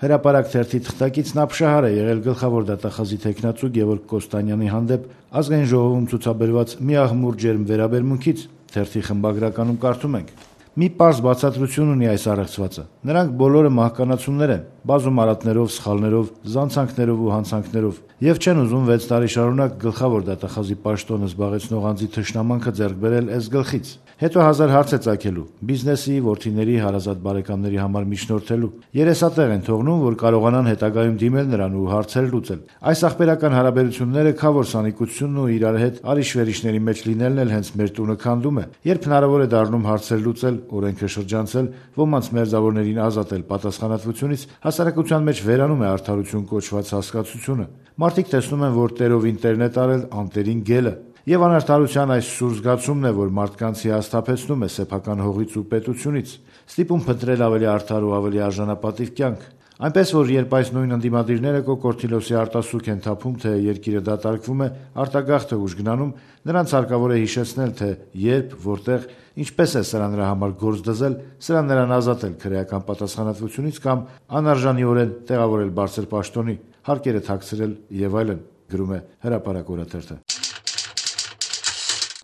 Հրապարակ թերթի թղթակիցն ապշահար է եղել գլխավոր դատախազի թեկնածու Գևորգ Կոստանյանի հանդեպ Ազգային ժողովում ցուցաբերված մի աղմուր ջերմ վերաբերմունքից։ Թերթի խմբագրականում կարդում ենք. «Մի պարզ բացատրություն ունի այս առեղծվածը. նրանք բոլորը մահկանացուներ են, բազում արատներով, սխալներով, զանցանքներով ու հանցանքներով, եւ չեն ուզում 6 տարի շարունակ գլխավոր դատախազի պաշտոնը զբաղեցնող անձի թշնամանքը ձեռք բերել էս գլխից։ Հետո հազար հարց է ծագելու, բիզնեսի, որդիների, հարազատ բարեկամների համար միջնորդելու։ Երեսատեղ են թողնում, որ կարողանան հետագայում դիմել նրան ու հարցեր լուծել։ Այս ախպերական հարաբերությունները քավոր սանիկությունն ու իրար հետ արիշ-վերիշների մեջ լինելն էլ հենց մեր տունը քանդում է։ Երբ հնարավոր է դառնում հարցեր լուծել, օրենքը շրջանցել, ոմանց մերձավորներին ազատել պատասխանատվությունից, հասարակության մեջ վերանում է արդարություն կոչված հասկացությունը։ Մարդիկ տեսնում են, որ տերովին տերն է տարել, անտերին գելը։ Եվ անարդարության այս սուր զգացումն է, որ մարդկանց հիասթափեցնում է սեփական հողից ու պետությունից, ստիպում փնտրել ավելի արդար ու ավելի արժանապատիվ կյանք։ Այնպես որ երբ այս նույն ընդդիմադիրները կոկորդիլոսի արտասուք են թափում, թե երկիրը դատարկվում է, արտագաղթը ուժգնանում, նրանց հարկավոր է հիշեցնել, թե երբ, որտեղ, ինչպես է սրան նրա համար գործ դզել, սրան նրան ազատել քրեական պատասխանատվությունից կամ անարժանիորեն տեղավորել բարձր պաշտոնի, հարկերը թաքցրել եւ այլն, գրում է Հրապարակ օրաթերթը։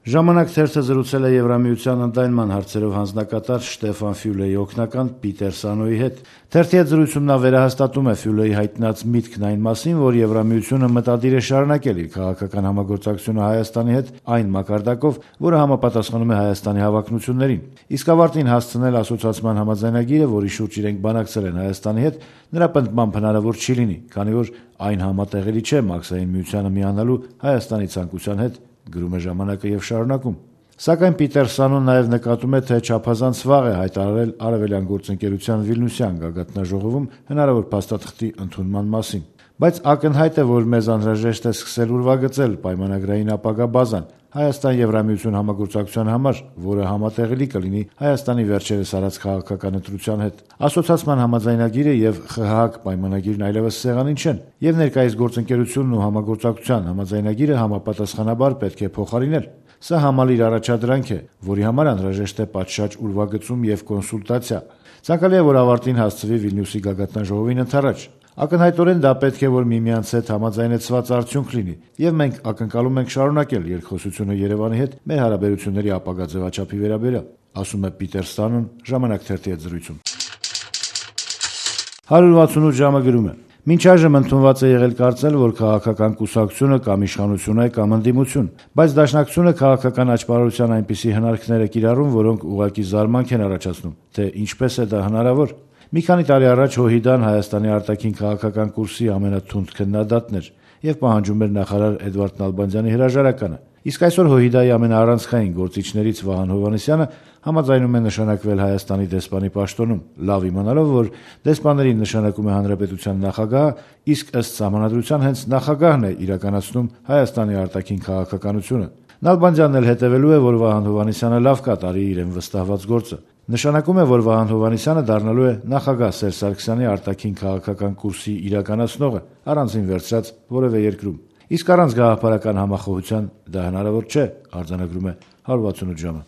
Ժամանակ թերթը զրուցել է Եվրամիության ընդայնման հարցերով հանձնակատար Շտեֆան Ֆյուլեի օգնական Պիտեր Սանոյի հետ։ Թերթի հետ զրույցում նա վերահաստատում է Ֆյուլեի հայտնած միտքն այն մասին, որ Եվրամիությունը մտադիր է շարունակել իր քաղաքական համագործակցությունը Հայաստանի հետ այն մակարդակով, որը համապատասխանում է Հայաստանի հավակնություններին։ Իսկ ավարտին հասցնել ասոցիացիան համաձայնագիրը, որի շուրջ իրենք բանակցել են Հայաստանի հետ, նրա պնդմամբ հնարավոր չի լինի, քանի որ այն համատեղելի չէ Մաքսային միությանը միանալու Հայաստանի ցանկության հետ, գրում է ժամանակը եւ շարունակում։ Սակայն Պիտեր Սանոն նաեւ նկատում է, թե չափազանց վաղ է հայտարարել Արևելյան գործընկերության Վիլնյուսյան գագաթնաժողովում հնարավոր փաստաթղթի ընդունման մասին։ Բայց ակնհայտ է, որ մեզ անհրաժեշտ է սկսել ուրվագծել պայմանագրային ապագա բազան Հայաստան-Եվրամիություն համագործակցության համար, որը համատեղելի կլինի Հայաստանի վերջերս արած քաղաքական ընտրության հետ։ Ասոցիացիան համաձայնագիրը եւ ԽՀՀ պայմանագիրն այլևս սեղանին չեն, եւ ներկայիս գործընկերությունն ու համագործակցության համաձայնագիրը համապատասխանաբար պետք է փոխարինել։ Սա համալիր առաջադրանք է, որի համար անհրաժեշտ է պատշաճ ուրվագծում եւ կոնսուլտացիա։ Ցանկալի է, որ ավարտին հասցվի Վիլնյուսի գագաթնաժողովին ընդառաջ։ Ակնհայտորեն դա պետք է որ միմյանց հետ համաձայնեցված արդյունք լինի, եւ մենք ակնկալում ենք շարունակել երկխոսությունը Երևանի հետ մեր հարաբերությունների ապագա ձևաչափի վերաբերյալ, ասում է Պիտեր Սանոն ժամանակ թերթի հետ զրույցում։ 168 ժամը գրում է. «Մինչ այժմ ընդունված է եղել կարծել, որ քաղաքական կուսակցությունը կամ իշխանություն է կամ ընդդիմություն, բայց Դաշնակցությունը քաղաքական աճպարարության այնպիսի հնարքներ է կիրառում, որոնք ուղղակի զարմանք են առաջացնում, թե ինչպես է դա հնարավոր։ Մի քանի տարի առաջ ՀՅԴ-ն Հայաստանի արտաքին քաղաքական կուրսի ամենաթունդ քննադատն էր եւ պահանջում էր նախարար Էդվարդ Նալբանդյանի հրաժարականը։ Իսկ այսօր ՀՅԴ-ի ամենաառանցքային գործիչներից Վահան Հովհաննիսյանը համաձայնում է նշանակվել Հայաստանի դեսպանի պաշտոնում, լավ իմանալով, որ դեսպաներին նշանակում է հանրապետության նախագահը, իսկ ըստ սահմանադրության հենց նախագահն է իրականացնում Հայաստանի արտաքին քաղաքականությունը։ Նալբանդյանն էլ հետևելու է, որ Վահան Հովհաննիսյանը լավ կատարի իրեն վստահված գործը։ Նշանակում է, որ Վահան Հովհաննիսյանը դառնալու է նախագահ Սերժ Սարգսյանի արտաքին քաղաքական կուրսի իրականացնողը, առանձին վերցրած որևէ երկրում։ Իսկ առանց գաղափարական համախոհության դա հնարավոր չէ, արձանագրում է 168 ժամը։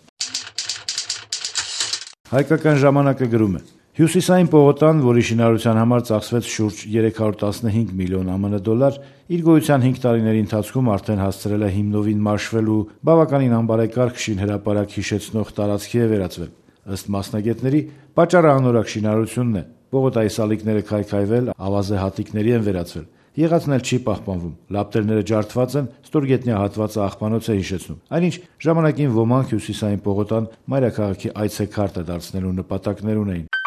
Հայկական ժամանակը գրում է. Հյուսիսային պողոտան, որի շինարարության համար ծախսվեց շուրջ 315 միլիոն ԱՄՆ դոլար, իր գոյության 5 տարիների ընթացքում արդեն հասցրել է հիմնովին մաշվելու բավականին անբարեկարգ շինհրապարակ հիշեցնող տարածքի է վերածվել։ Ըստ մասնագետների, պատճառը անորակ շինարարությունն է։ Պողոտայի սալիկները քայքայվել, ավազե հատիկների են վերածվել։ Եղածն էլ չի պահպանվում։ Լապտերները ջարդված են, ստորգետնյա հատվածը աղբանոց է հիշեցնում։ Այնինչ ժամանակին ոմանք հյուսիսային պողոտան մայրաքաղաքի այցեքարտը դարձնելու նպատակներ ունեին։